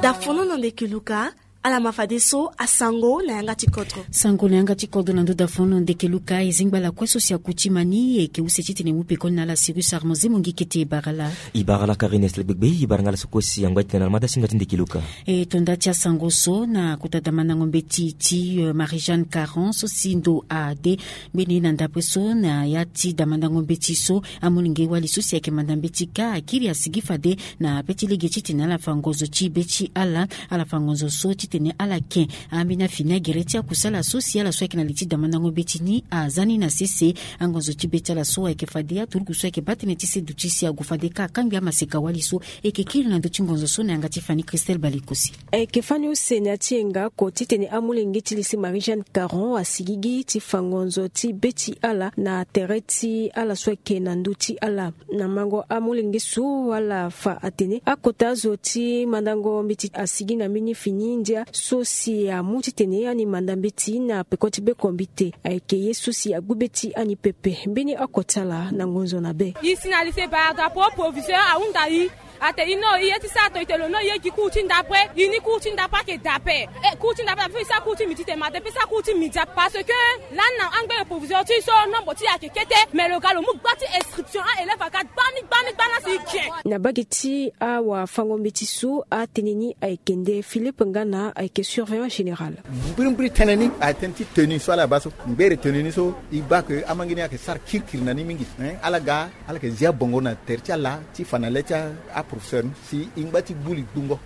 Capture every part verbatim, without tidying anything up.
Dafono na ndeke luka. Ala ma fadeso asango na yanga ti kodro. Sango na yanga ti kodro na ndo dafono na ndeke luka. E zingba ala kue so si akuti ma ni e yeke use titene e mu pekoni na ala. Sirus Armand Zemongi kete e bara ala. E bara ala Karine Esle Gbegbe. E bara nga ala so kue si angba titene ala ma da singa ti ndeke luka. E to nda ti asango so na kota damandango mbeti ti Marie Jeanne Caron so si ndo ade mbeni na ndapre so na ya ti damandango mbeti so amolenge wali so si ayeke manda mbeti kâ akiri asigi fade na be ti lege titene ala fa ngonzo ti be ti ala. Ala fa ngonzo so titene ala ke ambeni afini agere ti akusala so si ala so ayeke na li ti damandango mbeti ni aza ni na sese. Angonzo ti be ti ala so ayeke fade aturuku so ayeke baa tënë ti seduti si ague fade kâ akangbi amaseka wali so. E yeke kiri na ndö ti ngonzo so na yanga ti fani Christelle Balekosi. Ayeke fani use na ya ti yenga oko titene amolenge ti lycée Marie Jeanne Caron asigigi ti fa ngonzo ti be ti ala na tere ti ala so ayeke na ndö ti ala. Na mango amolenge so ala fa atene akota zo ti mandango mbeti asigi na mbeni fini ndia so si amu titene ani manda mbeti na peko ti be kombite. Ayeke ye so si agbu be ti ani pepe mbeni oko ti ala na ngonzo na be. E si na lycée bara drapeau proviseur ahunda e. Ate e no e ye ti sara to e te lo no e ye gi cours ti ndapre. E ni cours ti ndapre ayeke da ape. E cours ti ndapre ape e sara cours ti midi te ma de pe sara cours ti midi ape parce que lani na angbere proviseur ti e so nombre ti e ayeke kete. Mais lo ga lo mu gba ti inscription a-élève aga gbani gbani gbani asi e ke. Na bage ti awafango mbeti so atene ni ayeke nde Philippe Ngana ayeke surveillant général. Mbirimbiri tënë ni ayeke tënë ti tenue so ala baa so ngbere tenue ni so e baa ke amangi ni ayeke sara kirikiri na ni mingi. Ala ga ala yeke zi abongo na tere ti ala ti fa na le ti aprofesseur ni si e ngba ti gbu li gbungo.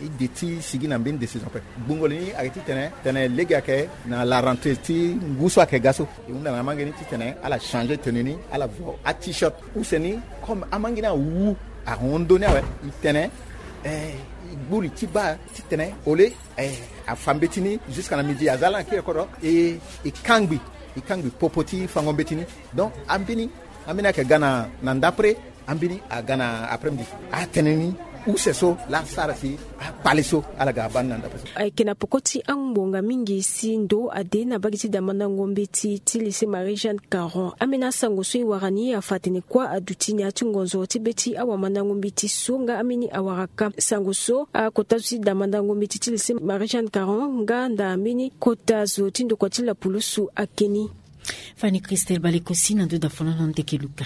E de ti sigi na mbeni décision ape. Gbungo li ni ayeke titene tene lege ayeke na la rentrée ti ngu so ayeke ga so e hunda na amangi ni titene ala changer tenue ni ala vo a-t-shirt. Use ni comme amangi ni awu ahon ndö ni awe e tene e gbu li ti baa titene ole e afa mbeti ni jusqu'à na midi aza lani akiri kodro e e kangbi e kangbi popo ti fango mbeti ni. Donc ambeni ambeni ayeke ga na ndapre. Ambeni aga na après midi atene ni use so laa asara si akpale so ala ga abaa ni na ndapre so. Ayeke na poko ti angbonga mingi si ndo ade na bage ti damandango mbeti ti lycée Marie Jeanne Caron. Ambeni asango so e wara ni afa atene kuâ aduti na ya ti ngonzo ti be ti awamandango mbeti so nga ambeni awara ka sango so akota zo ti damandango mbeti ti lycée Marie Jeanne Caron nga nda mbeni kota zo ti ndokua ti lapulusu ake ni. Fani Christelle Balekosi na ndo dafono na ndeke luka.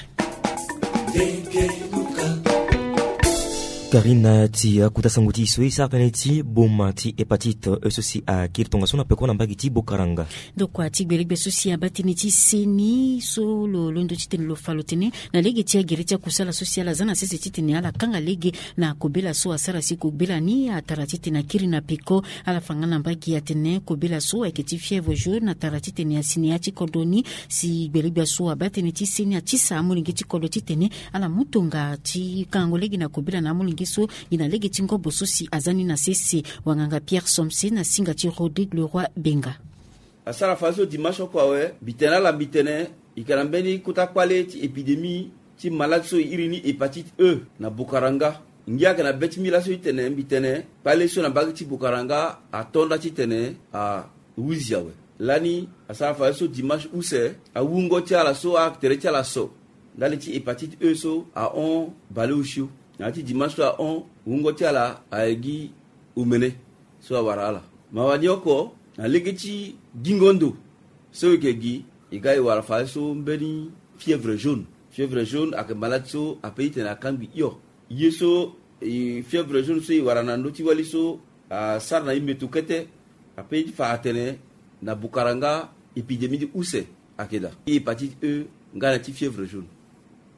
Karine, ti akuta sango ti e so e sara tënë ti boma ti hépatite e so si akiri tongaso na peko na mbage ti Bokaranga. Ndokua ti gbelegbe so si abaa tënë ti seni so lo londo titene lo fa lo tene na lege ti agere ti akusala so si ala za na sese titene ala kanga lege na kobela so asara si kobela ni atara titene akiri na peko. Ala fa nga na mbage atene kobela so ayeke ti fièvre jaune atara titene asi na ya ti kodro ni. Si gbelegbe so abaa tënë ti seni atisa amolenge ti kodro titene ala mu tonga ti kangango lege na kobela na amolenge so gi na lege ti ngobo so si aza ni na sese. Wanganga Pierre Somse na singa ti Rodrigue Leroy Benga. Asara fadeso dimanche oko awe mbi tene ala mbi tene e yeke na mbeni kota kpale ti épidémie ti malade so e iri ni hépatite E na Bokaranga. Ngia ayeke na be ti mbi laso ti tene mbi tene kpale so na mbage ti Bokaranga ato nda titene ahuzi awe. Lani asara fadeso dimanche use awungo ti ala so atere ti ala so ndali ti hépatite E so ahon baleosio. Na ya ti dimanche so ahon wungo ti ala ayeke gi omene so awara ala. Mawa ni oko na lege ti gingo ndo so e yeke gi e ga e wara fadeso mbeni fièvre jaune. Fièvre jaune ayeke malade so ape titene akangbi hio. Ye so fièvre jaune so e wara na ndö ti wali so asara na e meto kete. Ape ti fa atene na Bokaranga épidémie ti use ayeke daa ti hépatite E nga na ti fièvre jaune.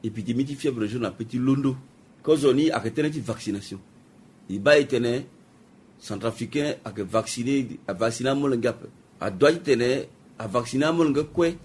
Épidémie ti fièvre jaune ape ti londo. Kozoni ayeke tënë ti vaccination. E baa e tene centrafricain ayeke vacciner, avacciner amolenge ape. Adoit titene avacciner amolenge kue.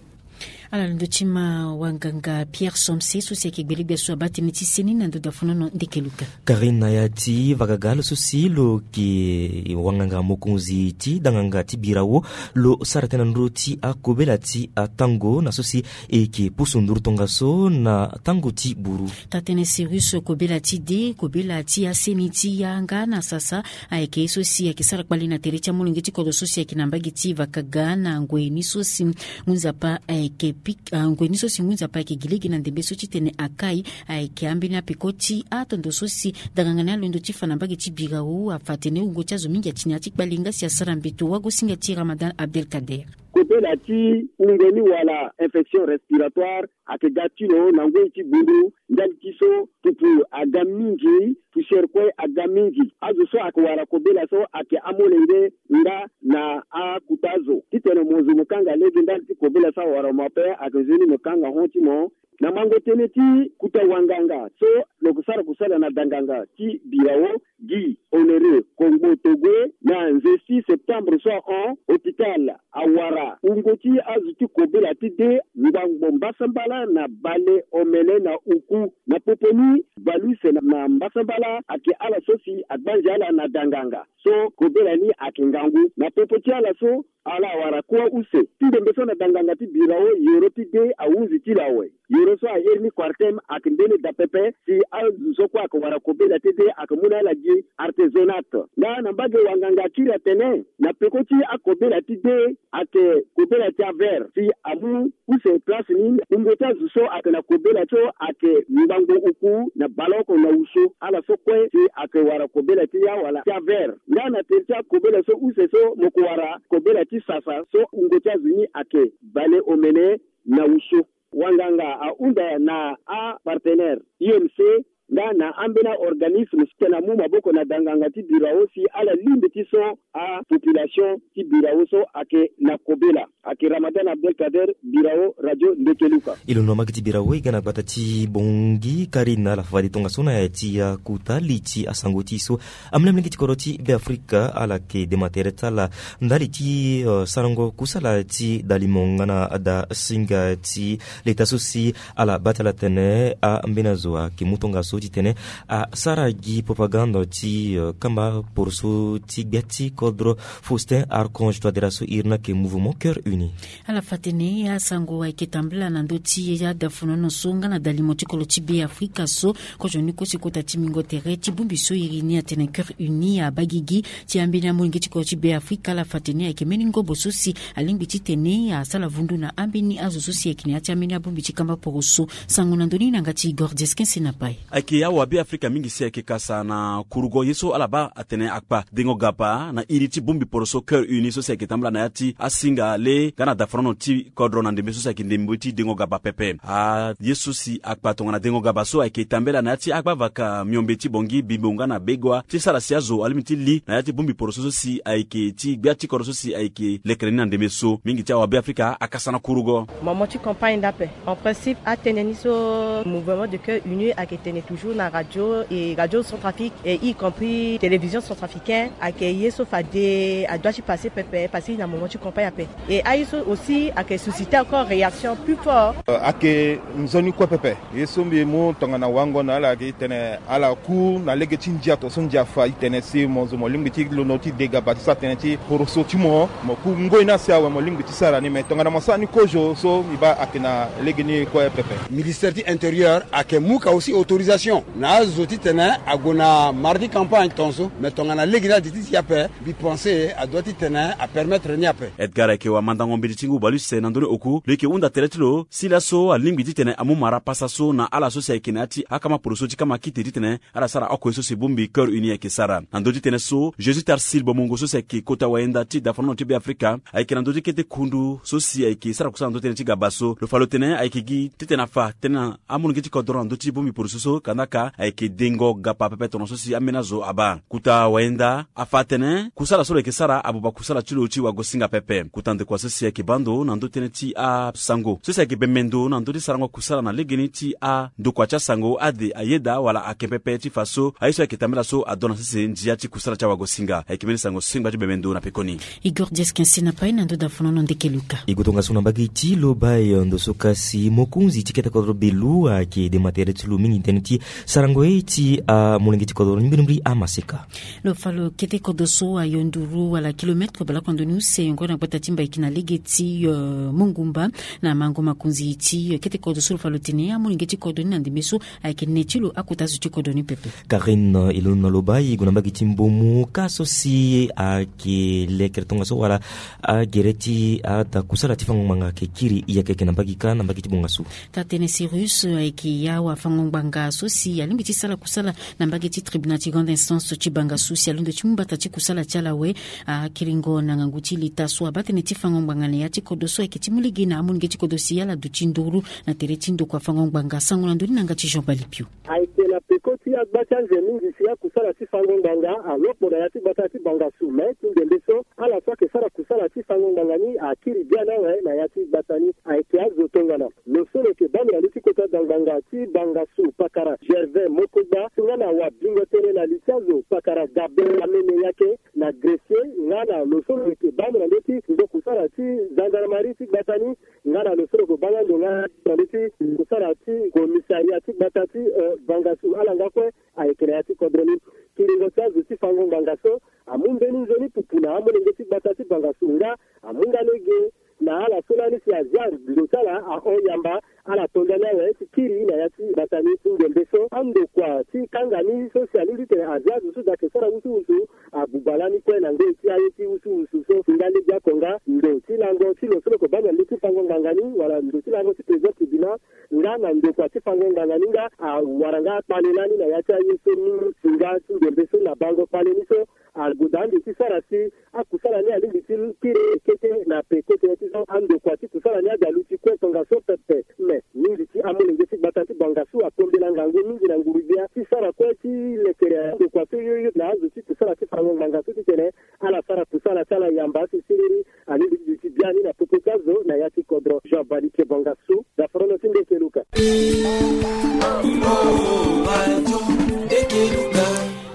Ala londo ti ma wanganga Pierre Somse so si ayeke gbelegbe so abaa tënë ti seni na ndo dafono na ndeke luka. Karine, na ya ti vagaga lo so si lo yeke wanganga mokonzi ti danganga ti birawo lo sara tënë na ndö ti akobela ti atango na so si e yeke pusu nduru tongaso na tango ti buru. Taa-tënë Sirus kobela ti de kobela ti aseni ti yanga na sasa ayeke ye so si ayeke sara kpale na tere ti amolenge ti kodro so si ayeke na mbage ti vakaga na ngoi ni so si ngu nzapa ayeke pik- ah, ngoi ni so si ngu nzapa ayeke gi lege na ndembe so titene akai ayeke ambeni apeko ti atondo so si danganga ni alondo ti fa na mbage ti birao afa atene wungo ti azo mingi ati na ya ti kpale nga si asara mbeto wagosinga ti Ramadan Abdelkader. Kobela ti wungo ni wala infection respiratoire ayeke ga ti lo na ngoi ti bundu ndali ti so pupu aga mingi, poussière kue aga mingi. Azo so ayeke wara kobela so ayeke amolenge nga na akuta azo. Titene mo zo mo kanga lege ndali ti kobela so awara mo ape, ayeke nzoni mo kanga hon ti mo. Na mango tënë ti kuta wanganga so lo yeke sara kusala na danganga ti birao, Guy Honoré Kongbo Togue, na nze ti septembre so ahon, hôpital awara wungo ti azo ti kobela ti de ngbangbo mbasambala na bale omene na oku. Na popo ni, bale use na, na mbasambala ayeke ala so si agbanzi ala na danganga so kobela ni ayeke ngangu. Na popo ti ala so, ala awara kua use ti ndembe so na danganga ti birao yoro ti de ahunzi ti lo awe. Yoro so airi ni Quartem ayeke mbeni daa pepe si azo so kue ayeke wara kobela ti de ayeke mu na ala gi artisanat. Nga na mbage wanganga akiri atene na peko ti akobela ti de ayeke kobela ti aver si amu use place ni. Wungo ti azo so ayeke na kobela so ayeke ngbangbo oku na baleoko na wuso, ala so kue si ayeke wara kobela ti ya wala ti aver. Nga na tere ti akobela so use so mo yeke wara kobela ti sasa so wungo ti azo ni ayeke bale omene na wuso. Wanganga ahunda na apartenaire I M C nga na ambeni aorganisme si tene amu maboko na danganga ti birao si ala lingbi ti so apopulation ti birao so ayeke na kobela. Ayeke Ramadan Abdelkader, birao Radio Ndekeluka. E londo na mbage ti birao e ga na gbata ti Bongi, Karine ala fa fade tongaso na ya ti akuta li ti asango ti e so amolenge ti kodro ti Beafrika ala yeke dema tere ti ala ndali ti, eh, sarango kusala ti dalimo nga na dasinga ti leta so si ala baa ti ala tene ambeni azo ayeke mu tongaso titene asara gi propagande ti, eh, kamba poroso ti gbia ti kodro Faustin Archange Touadéra so iri ni ayeke Mouvement Cœur Uni. Ala fa tene asango ayeke tambula na ndö ti adafonono so nga na dalimo ti kodro ti Beafrika so. Kozo ni kue si kota ti mingo tere ti bongbi so iri ni atene Cœur Uni abaa gigi ti ambeni amolenge ti kodro ti Beafrika. Ala fa tene ayeke mbeni ngobo so si alingbi titene asala vundu na ambeni azo so si ayeke na ya ti ambeni abongbi ti kamba poroso. Sango na ndö ni na yanga ti Igor Dieskin Senapai. Ayeke awabeafrika mingi si ayeke kasa na kurugo ye so ala baa atene akpa dengo gapa na iri ti bongbi poroso Cœur Uni so si ayeke tambula na ya ti asinga le nga na dafonono ti kodro na ndembe so si ayeke ndembe ti dengo gapa pepe. Aye so si akpa tongana dengo gapa so ayeke tambela na ya ti agbavaka miombe ti Bongi, Bimbo nga na Begoua ti sara si azo alingbi ti li na ya ti bongbi poroso so si ayeke ti gbia ti kodro so si ayeke lekere ni na ndembe so. Mingi ti awabeafrika akasa na kurugo. Moment ti campagne ni ape. En principe, atene ni so Mouvement de Cœur Uni ayeke tene toujours na radio et radio Centrafrique et y compris télévision centrafricaine, ayeke ye so fade adua ti passer pepe, passer na moment ti campagne ape. Et aye so aussi ayeke susciter encore réaction plus fort. Euh, ayeke nzoni kue pepe. Ye so mbi mu tongana wango na ala ayeke titene ala ku na lege ti ndia to so ndia fa titene si mo zo mo lingbi ti londo ti de gaba ti sara tënë ti poroso ti mo. Mo ku ngoi ni asi awe mo lingbi ti sara ni, me tongana mo sara ni kozo so mbi baa ayeke na lege ni kue pepe. Ministère ti intérieur ayeke mu ka aussi autorisation na azo titene ague na mardi campagne tongaso, me tongana lege ni adi ti si ape, mbi pense adua titene apermettre ni ape. Edgar ayeke wamandango mbeti ti ngu baleuse na ndö ni oku, lo yeke hunda tere ti lo si laso alingbi titene amu mara pasa so na ala so si ayeke na ya ti akama poroso ti kama kite titene ala sara oko ye so si bongbi Cœur Uni ayeke sara. Na ndö ti tënë so, Jésus Tarsil Bomongo so si ayeke kota wayenda ti dafonono ti Beafrika ayeke na ndö ti kete kundu so si ayeke sara kusala na ndö ti tënë ti gaba so, lo fa lo tene ayeke gi titene afa tënë na amolenge ti kodro na ndö ti bongbi poroso so kandaka ayeke dengo gapa pepe tongaso si ambeni azo abaa. Kota wayenda afa atene kusala so lo yeke sara abuba kusala ti lo ti wagosinga pepe. Kota ndokua so si ayeke baa ndo na ndö ti tënë ti asango so si ayeke bembe ndo na ndö ti sarango kusala na legeni ti andokua ti asango ade ayeda wala ake pepe ti fa so aye so ayeke tambela so adona sese ndia ti kusala ti awagosinga. Ayeke mbeni sango sengba ti bembe ndo na pekoni. Igor Diaskin si na pai na ndo dafonono ndeke luka. E gue tongaso na mbage ti lo bai ndo so kasi mokonzi ti kete kodro belu ayeke dema tere ti lo mingi tënë ti Sarango ye ti amolenge ti kodro ni mbirimbiri amaseka. Lo fa lo kete kodro so ayo nduru wala kilometre baleoko na ndoni use yongo na gbata ti Mbaiki na lege ti mongumba. Na mango makonzi ti kete kodro so lo fa lo tene amolenge ti kodro ni na ndembe so ayeke ne ti lo akota zo ti kodro ni pepe. Karine Elon na loba e gue na mbage ti Mbomu ka so si ayeke lekere tongaso wala agere ti ada kusala ti fango ngbanga ayeke kiri e ayeke yeke na mbage ka na mbage ti bongaso. Taa-tënë Cyrus ayeke ya wafango ngbanga so si alingbi ti sara kusala na mbage ti tribunal ti grande instance ti bangasu si alondo ti mu mbata ti kusala ti ala awe. Akiringo na ngangu ti leta so abaa tënë ti fango ngbanga na ya ti kodro so ayeke ti mu lege na amolenge ti kodro si ala duti nduru na tere ti ndokua fango ngbanga. Sango na ndoni na yanga ti Jean Balipio. Ayeke na peko ti agba ti anze mingi si akusala ti fango ngbanga alokpo na ya ti gbata ti bangasu me ti ndembe so ala so ayeke sara kusala ti fango ngbanga ni akiri biani awe na ya ti gbata ni. Ayeke azo tongana lo so lo yeke baa na ndö ti kota da ngbanga ti bangasu pakara Gervais Mokogba nga na wabingo tënë na li ti azo pakara Gabe Amene Yake na Grecier nga na lo so lo yeke baa na ndö ti ndokusala ti gendarmerie ti gbata ni nga na lo so lo yeke baa nga ndo nga na ndö ti kusala ti commissariat ti gbata ti bangasu ala nga kue. Ayeke na ya ti kodro ni kiringo ti azo ti fango ngbanga so amu mbeni nzoni pupu na amolenge ti gbata ti bangasu nga amu nga lege na ala so lani si azia ndo ti ala ahon yamba ala to ndani awe ti kiri na ya ti gbata ni ti ndembe so andokua ti kanga ni so si alingbi ti tene azia azo so daa ayeke sara wusuwusu abuba lani kue na ngoi ti aye ti wusuwusu so si nga lege oko nga ndo ti lango ti lo so lo yeke baa na ndö ti fango ngbanga ni wala ndo ti lango ti président tribunal nga na ndokua ti fango ngbanga ni nga awara nga akpale lani na ya ti aye so mingi si nga ti ndembe so na bango kpale ni so agoda ande ti sara si akusala ni alingbi ti kiri kete na peko tënë ti so andokua ti kusala ni ade aluti kue tongaso pepe. Me mingi ti amolenge ti gbata ti bangasu akombela ngangu mingi na nguru-gbia ti sara kue ti lekere andokua so yoyo na azo ti kusala ti fango ngbanga so titene ala sara kusala ti ala yamba si siriri. Alingbi ti duti biani na popo ti azo na ya ti kodro. Jean Balitie Bangasu, daforono ti Ndeke Luka.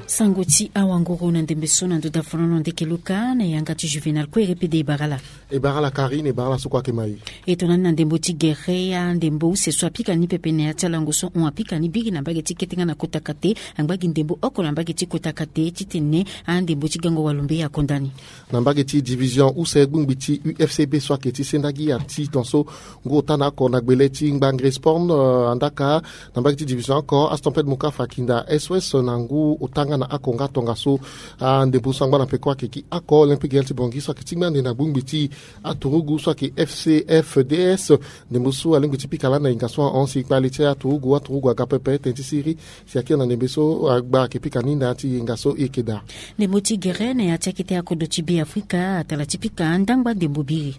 Sango ti awanguru na ndembe so na ndo daforono Ndeke Luka na yanga ti Juvenal Kouere pede e bara ala. E bara ala Karine, e bara ala so kue ayeke ma e. E tongana ni na ndembo ti gere andembo use so apika ni pepe na ya ti alango so hon apika ni biri na mbage ti kete nga na kota kate. Angba gi ndembo oko na mbage ti kota kate titene andembo ti gango walumbe akonda ni. Na mbage ti division use gbongbi ti U F C B so ayeke ti sendagi ati tongaso ngu ota na oko na gbele ti ngbangre sport andaka. Na mbage ti division oko Astampede Mokafa akinda S O S na ngu ota nga na oko nga tongaso. Andembo so angba na peko ayeke gi oko Olympique Gaël ti Bangui so ayeke tingbi ande na gbongbi ti aturugu so ayeke F C F D S. Ndembo so alingbi ti pika lani na hinga so ahon si kpale ti aturugu aturugu aga pepe tënë ti siriri. Si akiri na ndembe so agba ayeke pika ni na ya ti hinga so e yeke daa. Ndembo ti gere na ya ti akete akodro ti Be Afrika atara ti pika andangba ndembo biri.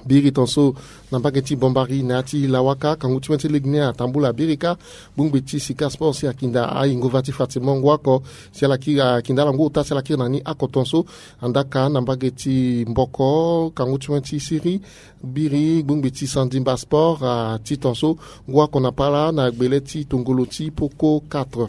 Biri tongaso na mbage ti Bombari na ya ti Lawaka kangu ti win ti lege ni atambula biri kâ. Gbongbi ti Sika Sport si akinda ayingo va ti Fatima ngu oko si ala kiri akinda ala ngu ota si ala kiri na ni oko tongaso. Andaka na mbage ti Mboko kangu ti win ti siriri biri gbongbi ti Sandimba Sport ati tongaso ngu oko na pala na gbele ti tongolo ti Poko quatre.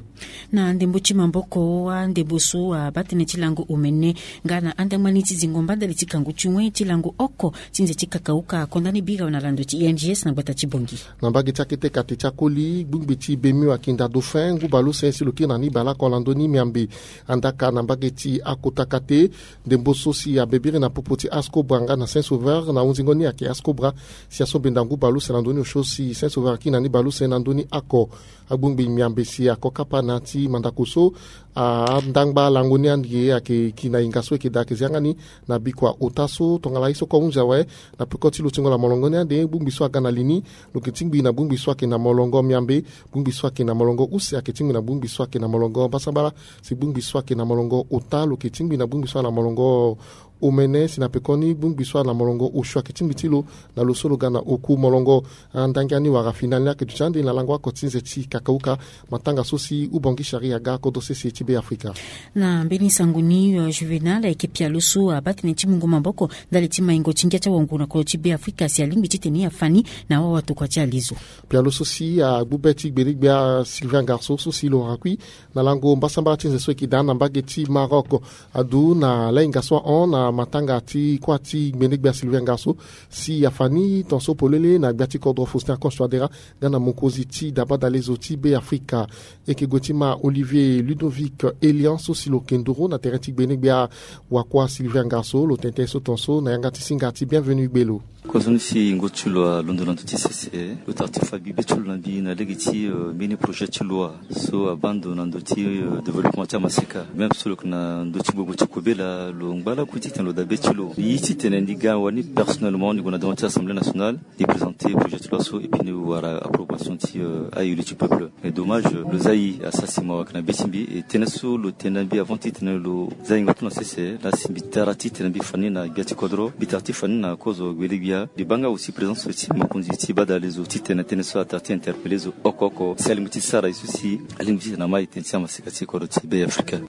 Na ndembo ti maboko andembo so abaa tënë ti lango omene nga na andangba ni ti zingo mba ndali ti kangu ti win ti lango oko ti nze ti kakauka akonda ni biri awe na lando ti I N G S na gbata ti Bangui. Na mbage ti akete kate ti akoli gbongbi ti Bemio akinda Dauphin ngu baleuse si lo kiri na ni baleoko na ndö ni miambe. Andaka na mbage ti akota kate ndembo so si abe biri na popo ti Ascobra nga na Saint Sauveur na hunzingo ni ayeke Ascobra si asombe nda ngu baleuse na ndö ni osio si Saint Sauveur akiri na ni baleuse na ndö ni oko. Agbongbi miambe si ako kapa na ya ti mandako so andangba lango ni ande ayeke ki na hinga so e yeke daa ayeke zia nga ni na bikua ota so tongana ye so kue ahunzi awe. Na peko ti lutingo na molongo ni ande gbongbi so aga na li ni lo yeke tingbi na gbongbi so ayeke na molongo miambe. Gbongbi so ayeke na molongo use ayeke tingbi na gbongbi so ayeke na molongo mbasambala. Si gbongbi so ayeke na molongo ota lo yeke tingbi na gbongbi so ayeke na molongo omene si na pekoni gbongbi so ayeke na molongo osio ayeke tingbi ti lo na lo so lo ga na oku molongo. Andangia ni wala final ni ayeke duti ande na lango oko ti nze ti kakauka. Matanga so si ubongi sharia aga kodro sese ti Be Afrika. Na mbeni sango ni Juvenal ayeke pialo so abaa tënë ti mungo maboko ndali ti maingo ti ngia ti awangu na kodro ti Be Afrika si alingbi titene e afa ni na wawa tokua ti alezo. Pialo so si agbu be ti gbele-gbia Sylvain Garceau so si lo rakui na lango mbasambala ti nze so e yeke daa na mbage ti Maroc. Adu na lahinga so ahon na Matanga ti kuâ ti gbenegbe ya Sylvain Ngasso si afa ni tongaso polele na gbia ti kodro Faustin Archange Touadéra nga na mokonzi ti dabadalezo ti Be Afrika. E yeke gue ti ma Olivier Ludovic Elian so si lo yeke nduru na tere ti gbenegbe ya wakuâ Sylvain Ngasso, lo tene tënë so tongaso na yanga ti singa ti Bienvenu Gbelo. Kozoni si ngu ti lo alondo na ndö ti sese, lo tara ti fa gbibe ti lo na mbi na lege ti, euh, mbeni projet ti loi so abaa ndo na ndö ti, euh, développement ti amaseka. Même so lo yeke na ndö ti gbogbo ti kobela, lo ngba lakui titene lo dabe ti lo. Mbi ye titene ni ga wani personnellement ni gue na devant ti Assemblée nationale, ni présenter projet ti loi so, et puis ni wara approbation ti, euh, ayo ti peuple. Mais dommage, lo za e asara si mawa ayeke na be ti mbi. E tënë so lo tene na mbi avant titene lo za e ngbato na sese, la si mbi tara titene mbi fa ni na gbia ti kodro, mbi tara ti fa ni na kozo gbele-gbia. Mbi baa nga aussi présence ti mokonzi ti badalezo titene tënë so atara ti interpeller zo oko oko si alingbi ti sara e so si alingbi titene ama e tënë ti amaseka ti kodro ti Be Afrika.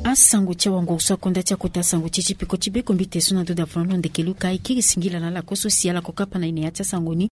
Asango ti awanguru so akonda ti akota sango ti e ti peko ti be kombi te so na ndo davanolo ndeke luka e kiri singila na ala kue so si ala ko kapa na e na ya ti asango ni.